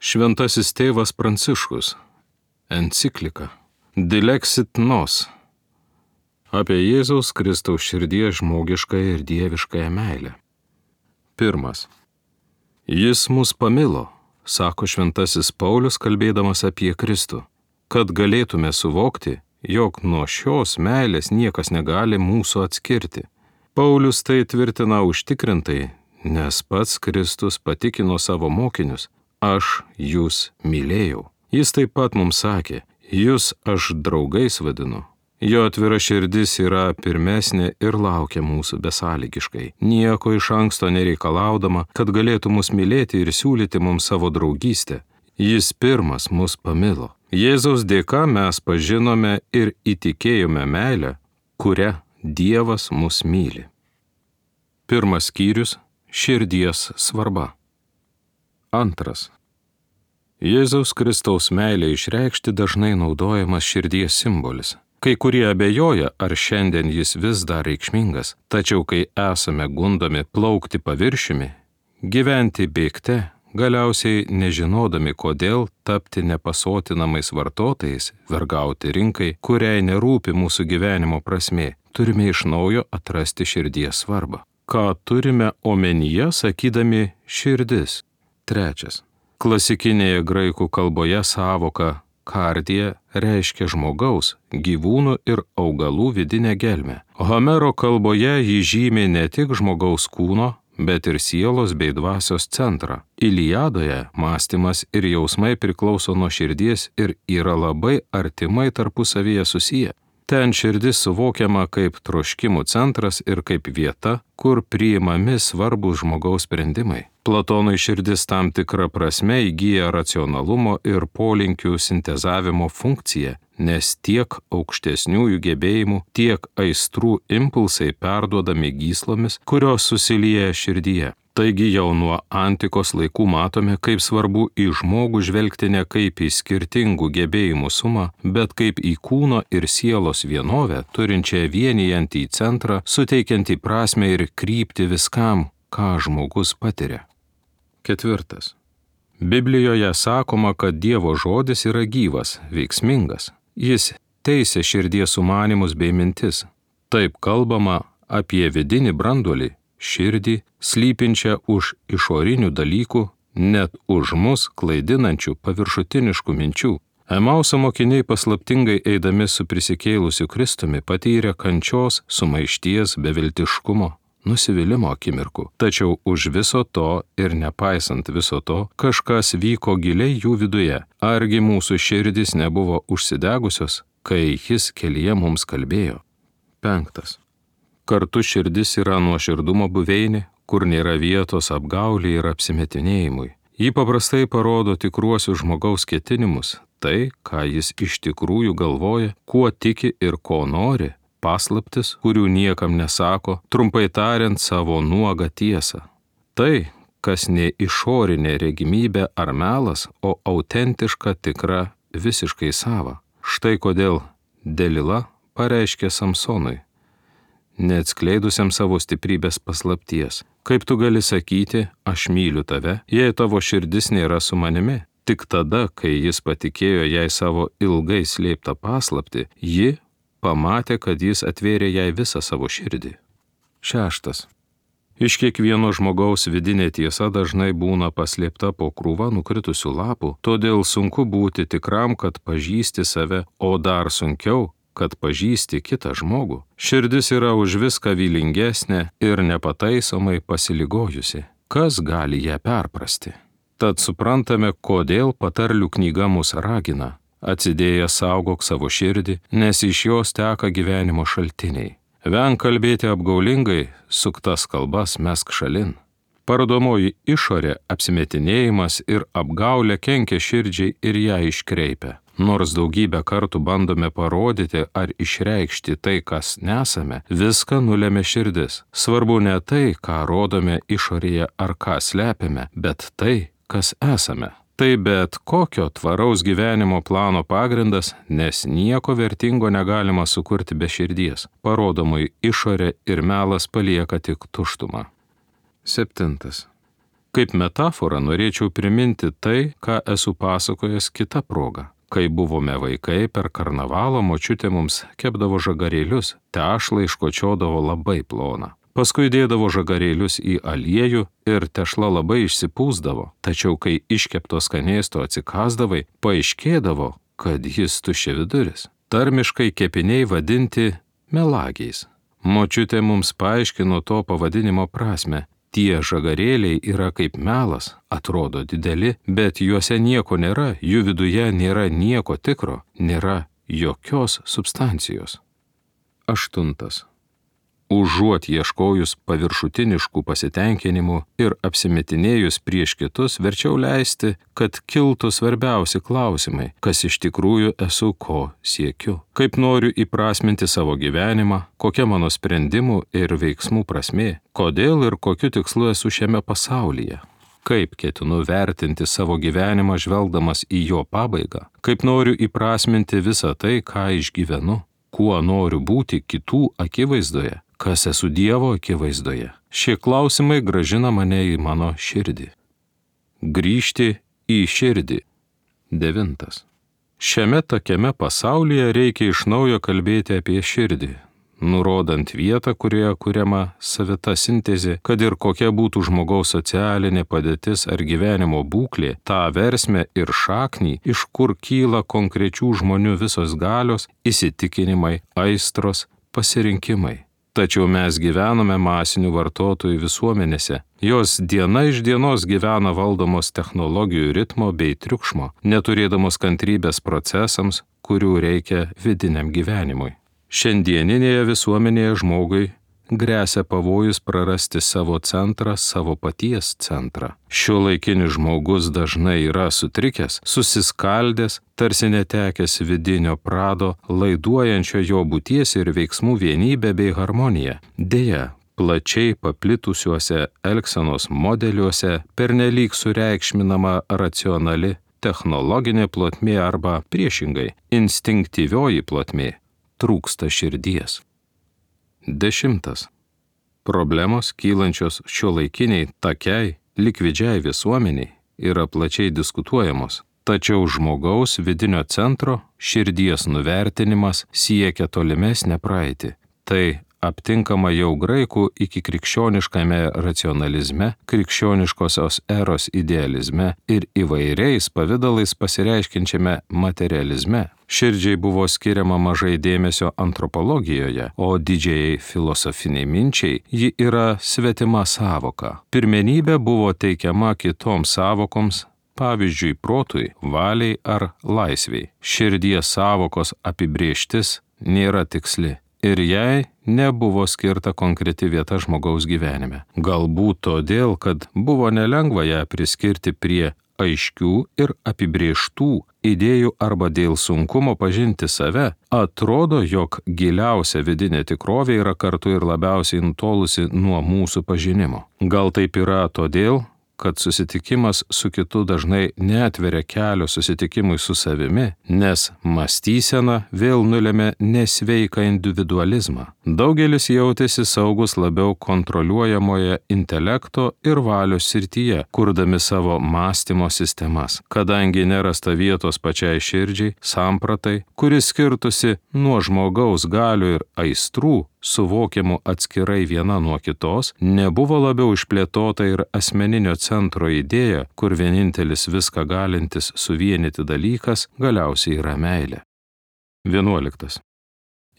Šventasis tėvas Pranciškus. Enciklika Dilexit Nos apie Jėzaus Kristaus širdies žmogiškąją ir dieviškąją meilę. 1. Jis mus pamilo, sako šventasis Paulius kalbėdamas apie Kristų, kad galėtume suvokti, jog nuo šios meilės niekas negali mūsų atskirti. Paulius tai tvirtina užtikrintai, nes pats Kristus patikino savo mokinius: aš jūs mylėjau. Jis taip pat mums sakė: jūs aš draugais vadinu. Jo atvira širdis yra pirmesnė ir laukia mūsų besąlygiškai, nieko iš anksto nereikalaudama, kad galėtų mus mylėti ir siūlyti mums savo draugystę. Jis pirmas mus pamilo. Jėzaus dėka mes pažinome ir įtikėjome meilę, kuria Dievas mus myli. 1 skyrius – širdies svarba. 2. Jėzaus Kristaus meilė išreikšti dažnai naudojamas širdies simbolis. Kai kurie abejoja, ar šiandien jis vis dar reikšmingas, tačiau kai esame gundomi plaukti paviršiumi, gyventi bėgte, galiausiai nežinodami, kodėl tapti nepasotinamais vartotojais, vergauti rinkai, kuriai nerūpi mūsų gyvenimo prasmė, turime iš naujo atrasti širdies svarbą. Ką turime omenyje, sakydami širdis? 3. Klasikinėje graikų kalboje sąvoka kardija reiškia žmogaus, gyvūnų ir augalų vidinę gelmę. Homero kalboje jį žymi ne tik žmogaus kūno, bet ir sielos bei dvasios centrą. Iliadoje mąstymas ir jausmai priklauso nuo širdies ir yra labai artimai tarpusavyje susiję. Ten širdis suvokiama kaip troškimų centras ir kaip vieta, kur priimami svarbūs žmogaus sprendimai. Platonui širdis tam tikrą prasme įgyja racionalumo ir polinkių sintezavimo funkciją, nes tiek aukštesniųjų gebėjimų, tiek aistrų impulsai perduodami gyslomis, kurios susilieja širdyje. Taigi jau nuo antikos laikų matome, kaip svarbu į žmogų žvelgti ne kaip į skirtingų gebėjimų sumą, bet kaip į kūno ir sielos vienovę, turinčią vienijantį centrą, suteikiantį prasmę ir kryptį viskam, ką žmogus patiria. 4. Biblijoje sakoma, kad Dievo žodis yra gyvas, veiksmingas. Jis teisia širdies sumanymus bei mintis. Taip kalbama apie vidinį branduolį, širdį, slypinčią už išorinių dalykų, net už mus klaidinančių paviršutiniškų minčių. Emauso mokiniai paslaptingai eidami su prisikėlusiu Kristumi patyrė kančios, sumaišties, beviltiškumo, nusivylimo akimirkų. Tačiau už viso to ir nepaisant viso to, kažkas vyko giliai jų viduje. Argi mūsų širdis nebuvo užsidegusios, kai jis kelyje mums kalbėjo? 5. Kartu širdis yra nuoširdumo buveinė, kur nėra vietos apgaulei ir apsimetinėjimui. Ji paprastai parodo tikruosius žmogaus ketinimus, tai, ką jis iš tikrųjų galvoja, kuo tiki ir ko nori, paslaptis, kurių niekam nesako, trumpai tariant savo nuogą tiesą. Tai, kas ne išorinė regimybė ar melas, o autentiška, tikra, visiškai sava. Štai kodėl Delila pareiškė Samsonui, neatskleidusiam savo stiprybės paslapties: kaip tu gali sakyti, aš myliu tave, jei tavo širdis nėra su manimi? Tik tada, kai jis patikėjo jai savo ilgai slėptą paslaptį, ji pamatė, kad jis atvėrė jai visą savo širdį. 6. Iš kiekvieno žmogaus vidinė tiesa dažnai būna paslėpta po krūva nukritusių lapų, todėl sunku būti tikram, kad pažįsti save, o dar sunkiau, kad pažįsti kitą žmogų. Širdis yra už viską vylingesnė ir nepataisomai pasiligojusi. Kas gali ją perprasti? Tad suprantame, kodėl patarlių knyga mus ragina: atsidėjęs saugok savo širdį, nes iš jos teka gyvenimo šaltiniai. Venk kalbėti apgaulingai, suktas kalbas mesk šalin. Parodomoji išorė, apsimetinėjimas ir apgaulė kenkia širdžiai ir ją iškreipia. Nors daugybę kartų bandome parodyti ar išreikšti tai, kas nesame, viską nulemia širdis. Svarbu ne tai, ką rodome išorėje ar ką slepiame, bet tai, kas esame. Tai bet kokio tvaraus gyvenimo plano pagrindas, nes nieko vertingo negalima sukurti be širdies. Parodomai išorė ir melas palieka tik tuštumą. 7. Kaip metaforą norėčiau priminti tai, ką esu pasakojęs kitą progą. Kai buvome vaikai, per karnavalą močiutė mums kepdavo žagarėlius, tešlą iškočiodavo labai ploną. Paskui dėdavo žagarėlius į aliejų ir tešla labai išsipūsdavo, tačiau kai iškepto skanėsto atsikasdavai, paaiškėdavo, kad jis tuščiaviduris. Tarmiškai kepiniai vadinti melagiais. Močiutė mums paaiškino to pavadinimo prasme. Tie žagarėliai yra kaip melas, atrodo dideli, bet juose nieko nėra, jų viduje nėra nieko tikro, nėra jokios substancijos. 8. Užuot ieškojus paviršutiniškų pasitenkinimų ir apsimetinėjus prieš kitus, verčiau leisti, kad kiltų svarbiausi klausimai, kas iš tikrųjų esu, ko siekiu, kaip noriu įprasminti savo gyvenimą, kokia mano sprendimų ir veiksmų prasmė, kodėl ir kokiu tikslu esu šiame pasaulyje. Kaip ketinu vertinti savo gyvenimą žvelgdamas į jo pabaigą, kaip noriu įprasminti visą tai, ką išgyvenu, kuo noriu būti kitų akivaizdoje, kas esu Dievo akivaizdoje. Šie klausimai grąžina mane į mano širdį. Grįžti į širdį. 9. Šiame tokiame pasaulyje reikia iš naujo kalbėti apie širdį, nurodant vietą, kurioje kuriama savita sintezė, kad ir kokia būtų žmogaus socialinė padėtis ar gyvenimo būklė, tą versmę ir šaknį, iš kur kyla konkrečių žmonių visos galios, įsitikinimai, aistros, pasirinkimai. Tačiau mes gyvename masinių vartotojų visuomenėse. Jos diena iš dienos gyvena valdomos technologijų ritmo bei triukšmo, neturėdamos kantrybės procesams, kurių reikia vidiniam gyvenimui. Šiandieninėje visuomenėje žmogui gresia pavojus prarasti savo centrą, savo paties centrą. Šiuolaikinis žmogus dažnai yra sutrikęs, susiskaldęs, tarsi netekęs vidinio prado, laiduojančio jo būties ir veiksmų vienybę bei harmoniją. Deja, plačiai paplitusiuose elgsenos modeliuose pernelyg sureikšminama racionali technologinė plotmė arba priešingai instinktyvioji plotmė, trūksta širdies. 10. Problemos kylančios šiuolaikiniai takiai, likvidžiai visuomeniai yra plačiai diskutuojamos, tačiau žmogaus vidinio centro širdies nuvertinimas siekia tolimesnę praeitį. Tai aptinkama jau graikų iki krikščioniškame racionalizme, krikščioniškosios eros idealizme ir įvairiais pavidalais pasireiškinčiame materializme. Širdžiai buvo skiriama mažai dėmesio antropologijoje, o didžiai filosofiniai minčiai ji yra svetima savoka. Pirmenybė buvo teikiama kitoms savokoms, pavyzdžiui, protui, valiai ar laisviai. Širdies savokos apibrėžtis nėra tiksli. Ir jai nebuvo skirta konkreti vieta žmogaus gyvenime. Galbūt todėl, kad buvo nelengva ją priskirti prie aiškių ir apibrėžtų idėjų arba dėl sunkumo pažinti save, atrodo, jog giliausia vidinė tikrovė yra kartu ir labiausiai nutolusi nuo mūsų pažinimo. Gal taip yra todėl, kad susitikimas su kitu dažnai neatveria kelio susitikimui su savimi, nes mąstysena vėl nulemia nesveiką individualizmą. Daugelis jautėsi saugus labiau kontroliuojamoje intelekto ir valios srityje, kurdami savo mąstymo sistemas, kadangi nerasta vietos pačiai širdžiai, sampratai, kuris skirtusi nuo žmogaus galių ir aistrų, suvokiamų atskirai viena nuo kitos, nebuvo labiau išplėtota ir asmeninio centro idėja, kur vienintelis viską galintis suvienyti dalykas galiausiai yra meilė. 11.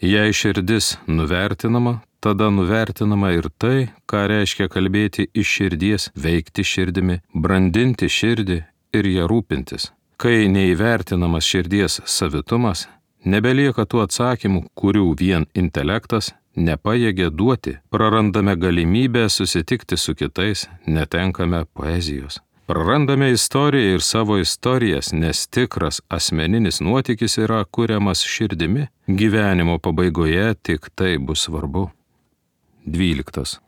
Jei širdis nuvertinama, tada nuvertinama ir tai, ką reiškia kalbėti iš širdies, veikti širdimi, brandinti širdį ir ją rūpintis. Kai neįvertinamas širdies savitumas, nebelieka tų atsakymų, kurių vien intelektas nepajėgia duoti, prarandame galimybę susitikti su kitais, netenkame poezijos. Prarandame istoriją ir savo istorijas, nes tikras asmeninis nuotykis yra kuriamas širdimi. Gyvenimo pabaigoje tik tai bus svarbu. 12.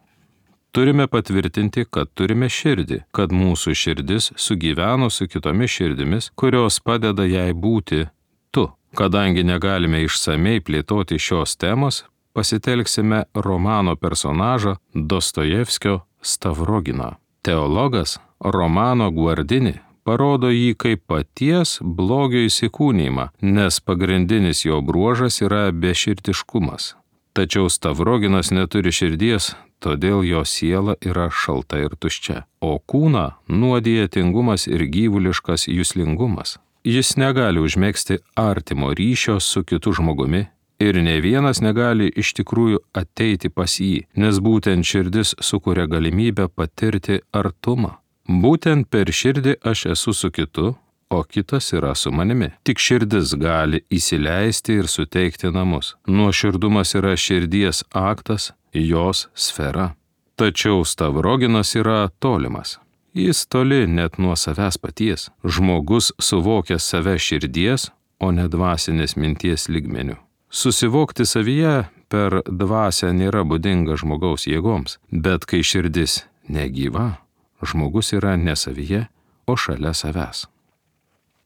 Turime patvirtinti, kad turime širdį, kad mūsų širdis sugyveno su kitomis širdimis, kurios padeda jai būti tu. Kadangi negalime išsamei plėtoti šios temos, pasitelksime romano personažą Dostojevskio Stavroginą. Teologas, Romano Guardini parodo jį kaip paties blogio įsikūnijimą, nes pagrindinis jo bruožas yra beširdiškumas. Tačiau Stavroginas neturi širdies, todėl jo siela yra šalta ir tuščia, o kūną nuodija tingumas ir gyvuliškas juslingumas. Jis negali užmegzti artimo ryšio su kitu žmogumi ir ne vienas negali iš tikrųjų ateiti pas jį, nes būtent širdis sukuria galimybę patirti artumą. Būtent per širdį aš esu su kitu, o kitas yra su manimi. Tik širdis gali įsileisti ir suteikti namus. Nuoširdumas yra širdies aktas, jos sfera. Tačiau Stavroginas yra tolimas. Jis toli net nuo savęs paties. Žmogus suvokia save širdies, o ne dvasinės minties lygmeniu. Susivokti savyje per dvasią nėra būdinga žmogaus jėgoms, bet kai širdis negyva, žmogus yra ne savyje, o šalia savęs.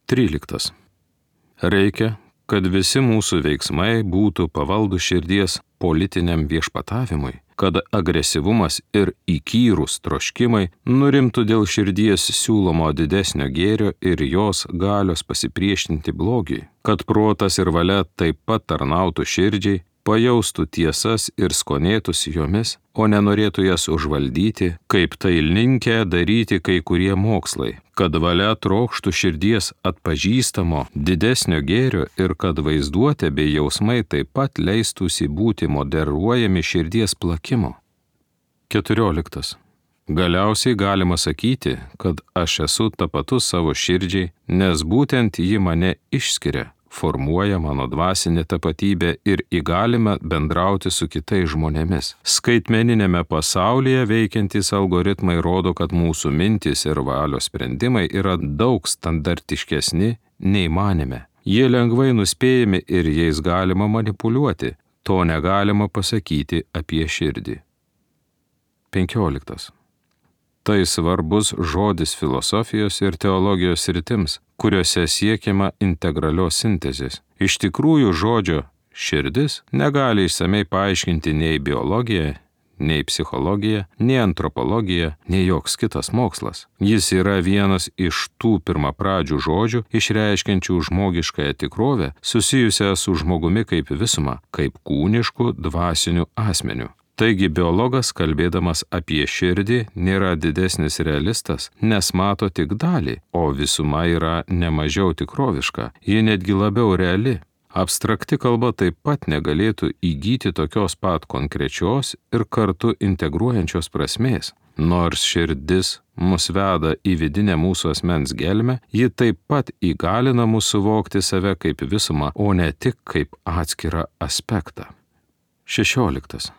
13. Reikia, kad visi mūsų veiksmai būtų pavaldų širdies politiniam viešpatavimui, kad agresyvumas ir įkyrūs troškimai nurimtų dėl širdies siūlomo didesnio gėrio ir jos galios pasipriešinti blogiui, kad protas ir valia taip pat tarnautų širdžiai, pajaustų tiesas ir skonėtųsi jomis, o nenorėtų jas užvaldyti, kaip tai linkę daryti kai kurie mokslai, kad valia trokštų širdies atpažįstamo didesnio gėrio ir kad vaizduotė bei jausmai taip pat leistųsi būti moderuojami širdies plakimo. 14. Galiausiai galima sakyti, kad aš esu tapatus savo širdžiai, nes būtent ji mane išskiria, formuoja mano dvasinę tapatybę ir įgalina bendrauti su kitais žmonėmis. Skaitmeninėme pasaulyje veikiantys algoritmai rodo, kad mūsų mintys ir valios sprendimai yra daug standartiškesni nei manėme. Jie lengvai nuspėjami ir jais galima manipuliuoti. To negalima pasakyti apie širdį. 15. Tai svarbus žodis filosofijos ir teologijos sritims, kuriuose siekiama integralios sintezės. Iš tikrųjų žodžio širdis negali išsamei paaiškinti nei biologija, nei psichologija, nei antropologija, nei joks kitas mokslas. Jis yra vienas iš tų pirmapradžių žodžių, išreiškiančių žmogiškąją tikrovę, susijusią su žmogumi kaip visuma, kaip kūnišku dvasiniu asmeniu. Taigi biologas, kalbėdamas apie širdį, nėra didesnis realistas, nes mato tik dalį, o visuma yra nemažiau tikroviška, ji netgi labiau reali. Abstrakti kalba taip pat negalėtų įgyti tokios pat konkrečios ir kartu integruojančios prasmės. Nors širdis mus veda į vidinę mūsų asmens gelmę, ji taip pat įgalina mus suvokti save kaip visumą, o ne tik kaip atskirą aspektą. 16.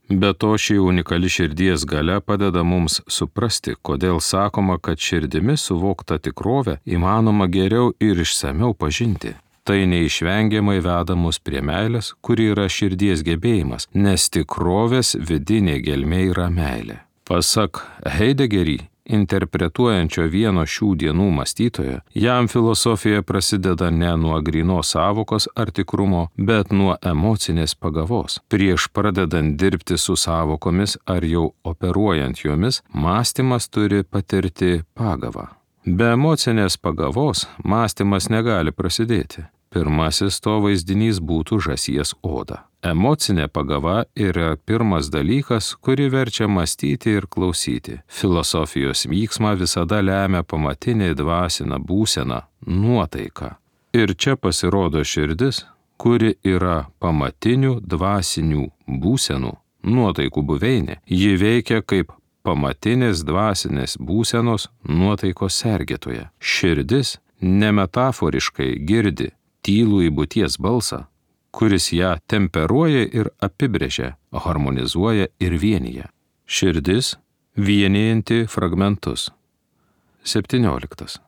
Be to, ši unikali širdies galia padeda mums suprasti, kodėl sakoma, kad širdimi suvokta tikrovė įmanoma geriau ir išsamiau pažinti. Tai neišvengiamai veda mus prie meilės, kuri yra širdies gebėjimas, nes tikrovės vidinė gelmė yra meilė. Pasak Heideggerį, interpretuojančio vieno šių dienų mąstytojo, jam filosofija prasideda ne nuo grynos sąvokos ar tikrumo, bet nuo emocinės pagavos. Prieš pradedant dirbti su sąvokomis ar jau operuojant jomis, mąstymas turi patirti pagavą. Be emocinės pagavos mąstymas negali prasidėti. Pirmasis to vaizdinys būtų žąsies oda. Emocinė pagava yra pirmas dalykas, kuri verčia mąstyti ir klausyti. Filosofijos vyksmą visada lemia pamatinė dvasinė būsena – nuotaika. Ir čia pasirodo širdis, kuri yra pamatinių dvasinių būsenų, nuotaikų buveinė. Ji veikia kaip pamatinės dvasinės būsenos nuotaikos sergėtoja. Širdis nemetaforiškai girdi tylų į būties balsą, kuris ją temperuoja ir apibrėžia, harmonizuoja ir vienyje. Širdis vienijanti fragmentus. 17.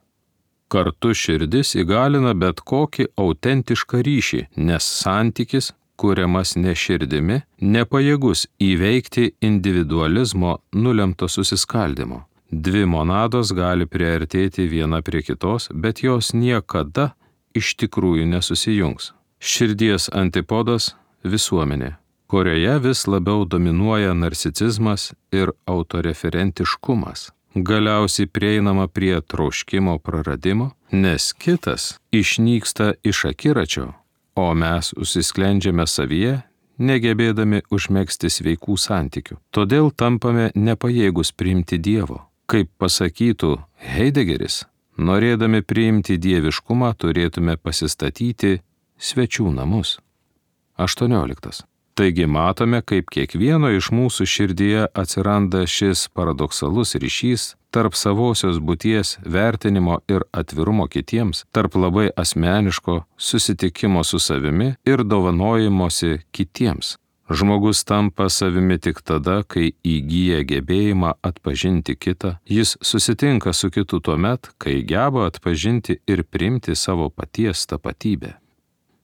Kartu širdis įgalina bet kokį autentišką ryšį, nes santykis, kuriamas ne širdimi, nepajėgus įveikti individualizmo nulemto susiskaldimo. Dvi monados gali priartėti viena prie kitos, bet jos niekada iš tikrųjų nesusijungs. Širdies antipodas – visuomenė, kurioje vis labiau dominuoja narcisizmas ir autoreferentiškumas. galiausiai prieinama prie troškimo praradimo, nes kitas išnyksta iš akiračio, o mes užsisklendžiame savyje, negebėdami užmegzti sveikų santykių. Todėl tampame nepajėgus priimti Dievo. Kaip pasakytų Heidegeris, norėdami priimti dieviškumą turėtume pasistatyti svečių namus. 18. Taigi matome, kaip kiekvieno iš mūsų širdyje atsiranda šis paradoksalus ryšys tarp savosios būties vertinimo ir atvirumo kitiems, tarp labai asmeniško susitikimo su savimi ir dovanojimosi kitiems. Žmogus tampa savimi tik tada, kai įgyja gebėjimą atpažinti kitą, jis susitinka su kitu tuomet, kai geba atpažinti ir priimti savo paties tapatybę.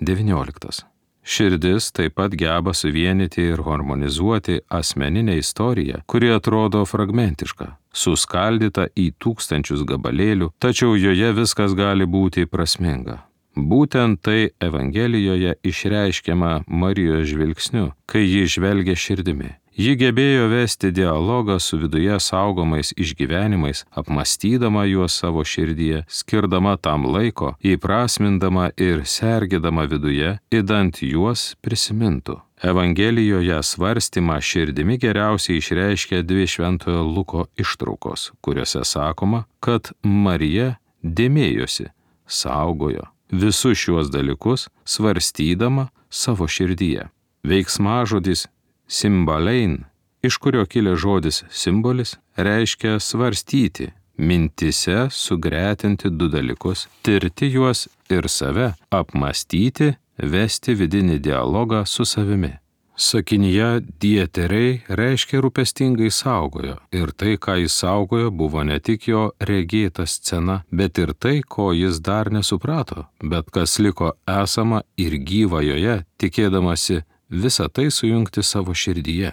19. Širdis taip pat geba suvienyti ir harmonizuoti asmeninę istoriją, kuri atrodo fragmentiška, suskaldyta į tūkstančius gabalėlių, tačiau joje viskas gali būti prasminga. Būtent tai Evangelijoje išreiškiama Marijos žvilgsniu, kai ji žvelgia širdimi. Ji gebėjo vesti dialogą su viduje saugomais išgyvenimais, apmąstydama juos savo širdyje, skirdama tam laiko, įprasmindama ir sergėdama viduje, idant juos prisimintų. Evangelijoje svarstymą širdimi geriausiai išreiškia dvi Šventojo Luko ištraukos, kuriuose sakoma, kad Marija dėmėjosi, saugojo visus šiuos dalykus, svarstydama savo širdyje. Veiksmažodis simbalein, iš kurio kilęs žodis simbolis, reiškia svarstyti, mintise sugretinti du dalykus, tirti juos ir save, apmąstyti, vesti vidinį dialogą su savimi. Sakinyje dieteriai reiškia rūpestingai saugojo, ir tai, ką jis saugojo, buvo ne tik jo regėta scena, bet ir tai, ko jis dar nesuprato, bet kas liko esama ir gyva joje, tikėdamasi visą tai sujungti savo širdyje.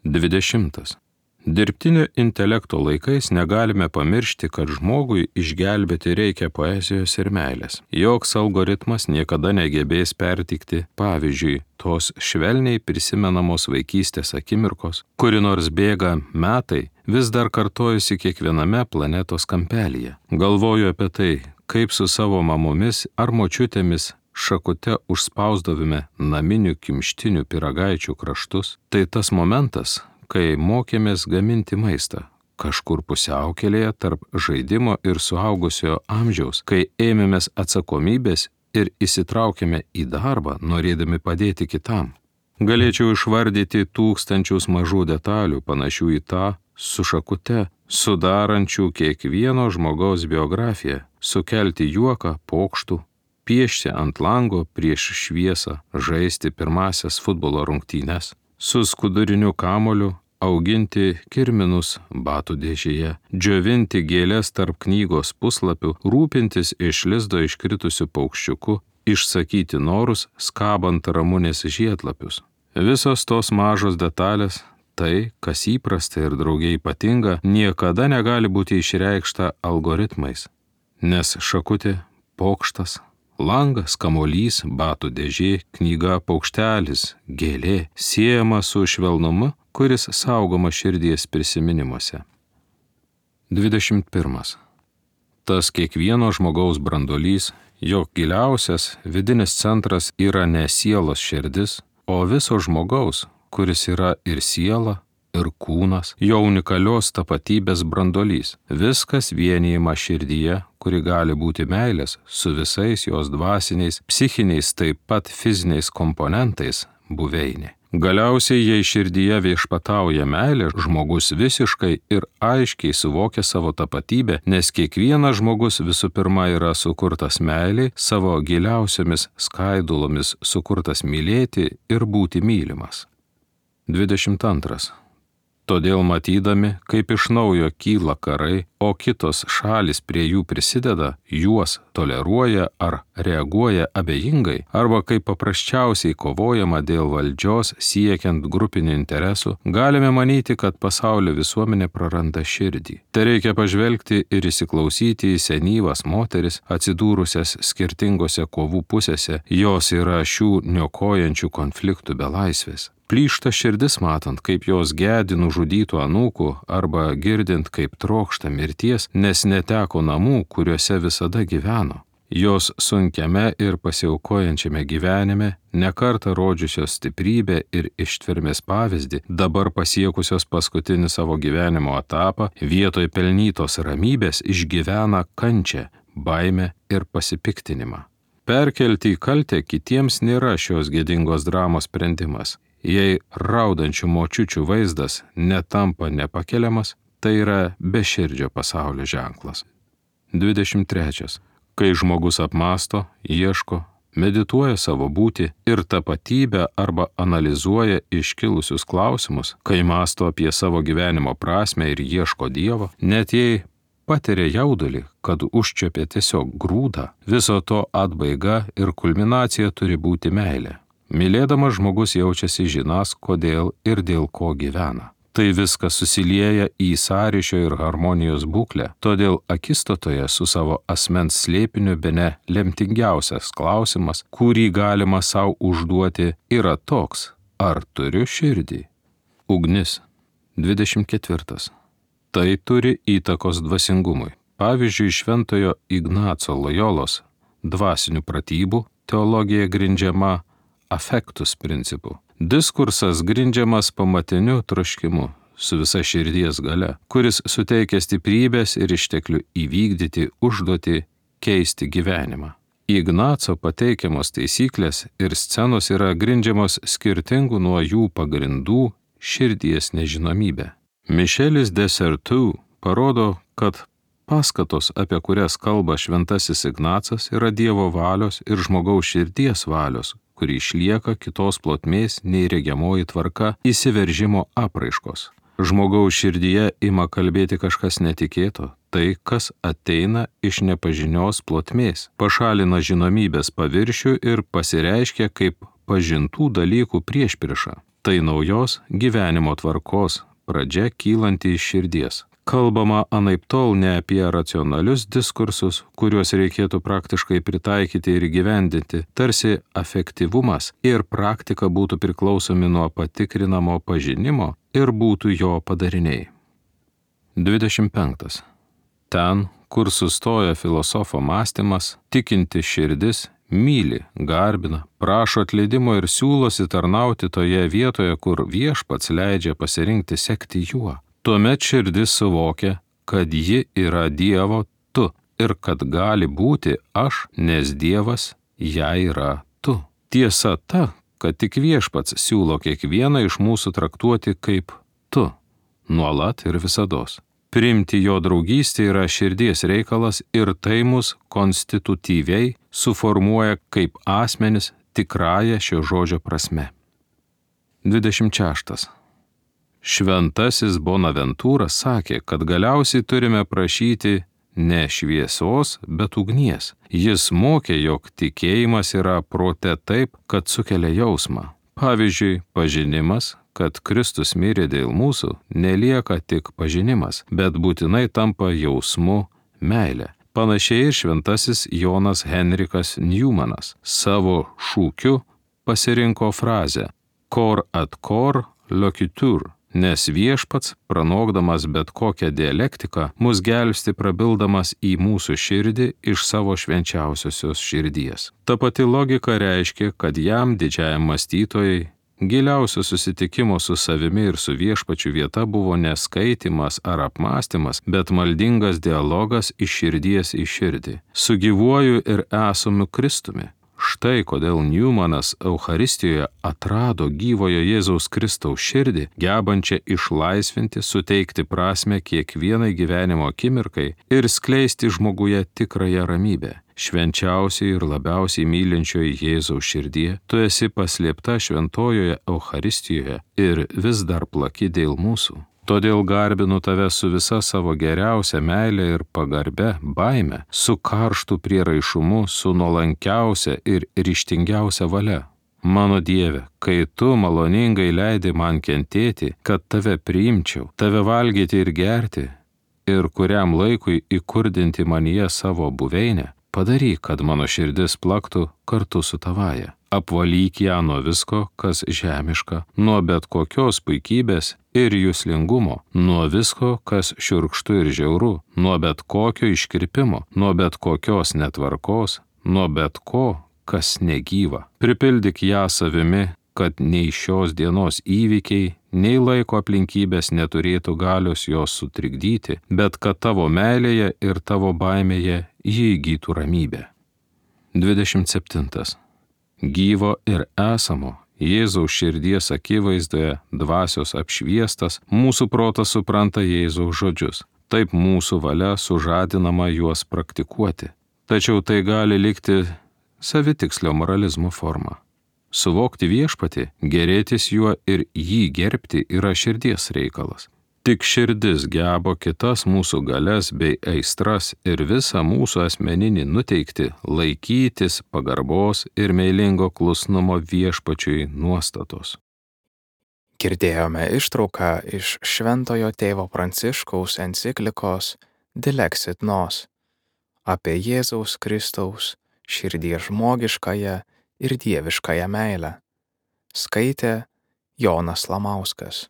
20. Dirbtinio intelekto laikais negalime pamiršti, kad žmogui išgelbėti reikia poezijos ir meilės. Joks algoritmas niekada negebės pertikti, pavyzdžiui, tos švelniai prisimenamos vaikystės akimirkos, kuri nors bėga metai, vis dar kartojasi kiekviename planetos kampelyje. Galvoju apie tai, kaip su savo mamomis ar močiutėmis šakute užspausdavome naminių kimštinių pyragaičių kraštus. Tai tas momentas, kai mokėmės gaminti maistą, kažkur pusiaukelėje tarp žaidimo ir suaugusiojo amžiaus, kai ėmėmės atsakomybės ir įsitraukėme į darbą, norėdami padėti kitam. Galėčiau išvardyti tūkstančius mažų detalių, panašių į tą su šakute, sudarančių kiekvieno žmogaus biografiją, sukelti juoką, pokštų, piešti ant lango prieš šviesą, žaisti pirmasias futbolo rungtynes, su skuduriniu kamuoliu, auginti kirminus batų dėžėje, džiovinti gėlės tarp knygos puslapių, rūpintis iš lizdo iškritusių paukščiukų, išsakyti norus, skabant ramunės žiedlapius. Visos tos mažos detalės, tai, kas įprasta ir draugiai ypatinga, niekada negali būti išreikšta algoritmais, nes šakutė, pokštas, langas, kamuolys, batų dėžė, knyga, paukštelis, gėlė, siejama su švelnumu, kuris saugoma širdies prisiminimuose. 21. Tas kiekvieno žmogaus branduolys, jo giliausias vidinis centras yra ne sielos širdis, o viso žmogaus, kuris yra ir siela, ir kūnas, jo unikalios tapatybės branduolys. Viskas vienijama širdyje, kuri gali būti meilės su visais jos dvasiniais, psichiniais, taip pat fiziniais komponentais buveinė. Galiausiai, jei širdyje viešpatauja meilė, žmogus visiškai ir aiškiai suvokia savo tapatybę, nes kiekvienas žmogus visų pirma yra sukurtas meiliai, savo giliausiomis skaidulomis sukurtas mylėti ir būti mylimas. 22. Todėl matydami, kaip iš naujo kyla karai, o kitos šalis prie jų prisideda, juos toleruoja ar reaguoja abejingai, arba kaip paprasčiausiai kovojama dėl valdžios siekiant grupinių interesų, galime manyti, kad pasaulio visuomenė praranda širdį. Tai reikia pažvelgti ir įsiklausyti į senyvas moteris, atsidūrusias skirtingose kovų pusėse, jos yra šių niokojančių konfliktų belaisvės. Plyšta širdis matant, kaip jos gedi nužudytų anūkų arba girdint, kaip trokšta mirties, nes neteko namų, kuriuose visada gyveno. Jos sunkiame ir pasiaukojančiame gyvenime, nekartą rodžiusios stiprybę ir ištvermės pavyzdį, dabar pasiekusios paskutinį savo gyvenimo etapą, vietoj pelnytos ramybės išgyvena kančią, baimę ir pasipiktinimą. Perkelti į kaltę kitiems nėra šios gėdingos dramos sprendimas. Jei raudančių močiučių vaizdas netampa nepakeliamas, tai yra beširdžio pasaulio ženklas. 23. Kai žmogus apmąsto, ieško, medituoja savo būtį ir tapatybę arba analizuoja iškilusius klausimus, kai mąsto apie savo gyvenimo prasmę ir ieško Dievo, net jei patiria jaudulį, kad užčiuopė tiesiog grūdą, viso to atbaiga ir kulminacija turi būti meilė. Mylėdamas žmogus jaučiasi žinąs, kodėl ir dėl ko gyvena. Tai viskas susilieja į sąryšio ir harmonijos būklę, todėl akistatoje su savo asmens slėpiniu bene lemtingiausias klausimas, kurį galima savo užduoti, yra toks: ar turiu širdį? Ugnis. 24. Tai turi įtakos dvasingumui. Pavyzdžiui, šventojo Ignaco Lojolos dvasinių pratybų teologija grindžiama affectus principu. Diskursas grindžiamas pamatiniu troškimu su visa širdies galia, kuris suteikia stiprybės ir išteklių įvykdyti užduotį keisti gyvenimą. Ignaco pateikiamos taisyklės ir scenos yra grindžiamos skirtingų nuo jų pagrindų širdies nežinomybė. Mišelis de Certeau parodo, kad paskatos, apie kurias kalba šventasis Ignacas, yra Dievo valios ir žmogaus širdies valios, kuri išlieka kitos plotmės nei regiamoji tvarka įsiveržimo apraiškos. Žmogaus širdyje ima kalbėti kažkas netikėto, tai, kas ateina iš nepažinios plotmės, pašalina žinomybės paviršių ir pasireiškia kaip pažintų dalykų priešprieša. Tai naujos gyvenimo tvarkos pradžia kylanti iš širdies. Kalbama anaiptol ne apie racionalius diskursus, kuriuos reikėtų praktiškai pritaikyti ir įgyvendinti, tarsi afektyvumas ir praktika būtų priklausomi nuo patikrinamo pažinimo ir būtų jo padariniai. 25. Ten, kur sustoja filosofo mąstymas, tikinti širdis myli, garbina, prašo atleidimo ir siūlosi tarnauti toje vietoje, kur viešpats leidžia pasirinkti sekti juo. Tuomet širdis suvokia, kad ji yra Dievo tu ir kad gali būti aš, nes Dievas jai yra tu. Tiesa ta, kad tik viešpats siūlo kiekvieną iš mūsų traktuoti kaip tu, nuolat ir visados. Priimti jo draugystę yra širdies reikalas ir tai mus konstitutyviai suformuoja kaip asmenis tikrąją šio žodžio prasme. 26. Šventasis Bonaventūras sakė, kad galiausiai turime prašyti ne šviesos, bet ugnies. Jis mokė, jog tikėjimas yra prote taip, kad sukelia jausmą. Pavyzdžiui, pažinimas, kad Kristus mirė dėl mūsų, nelieka tik pažinimas, bet būtinai tampa jausmu meilė. Panašiai ir šventasis Jonas Henrikas Newmanas savo šūkiu pasirinko frazę cor ad cor loquitur, nes viešpats, pranokdamas bet kokią dialektiką, mus gelbsti prabildamas į mūsų širdį iš savo švenčiausiosios širdies. Ta pati logika reiškia, kad jam, didžiajam mąstytojai, giliausio susitikimo su savimi ir su viešpačiu vieta buvo ne skaitymas ar apmąstymas, bet maldingas dialogas iš širdies į širdį, su gyvuoju ir esamu Kristumi. Štai kodėl Newmanas Eucharistijoje atrado gyvojo Jėzaus Kristaus širdį, gebančią išlaisvinti, suteikti prasmę kiekvienai gyvenimo akimirkai ir skleisti žmoguje tikrąją ramybę. Švenčiausiai ir labiausiai mylinčioji Jėzaus širdie, tu esi paslėpta šventojoje Eucharistijoje ir vis dar plaki dėl mūsų. Todėl garbinu tave su visa savo geriausia meile ir pagarbe baime, su karštu prieraišumu, su nuolankiausia ir ryžtingiausia valia. Mano Dieve, kai tu maloningai leidi man kentėti, kad tave priimčiau, tave valgyti ir gerti, ir kuriam laikui įkurdinti manyje savo buveinę, padaryk, kad mano širdis plaktų kartu su tavaja. apvalyk ją nuo visko, kas žemiška, nuo bet kokios puikybės ir juslingumo, nuo visko, kas šiurkštu ir žiauru, nuo bet kokio iškirpimo, nuo bet kokios netvarkos, nuo bet ko, kas negyva. Pripildyk ją savimi, kad nei šios dienos įvykiai, nei laiko aplinkybės neturėtų galios jos sutrikdyti, bet kad tavo meilėje ir tavo baimėje jie įgytų ramybę. 27. Gyvo ir esamo, Jėzaus širdies akivaizdoje, dvasios apšviestas, mūsų protas supranta Jėzaus žodžius. Taip mūsų valia sužadinama juos praktikuoti. Tačiau tai gali likti savitikslio moralizmo forma. Suvokti viešpatį, gėrėtis juo ir jį gerbti yra širdies reikalas. Tik širdis geba kitas mūsų galias bei aistras ir visą mūsų asmeninį nuteikti laikytis pagarbos ir meilingo klusnumo viešpačiui nuostatos. Girdėjome ištrauką iš Šventojo tėvo Pranciškaus enciklikos Dilexit Nos apie Jėzaus Kristaus širdies žmogiškąją ir dieviškąją meilę. Skaitė Jonas Lamauskas.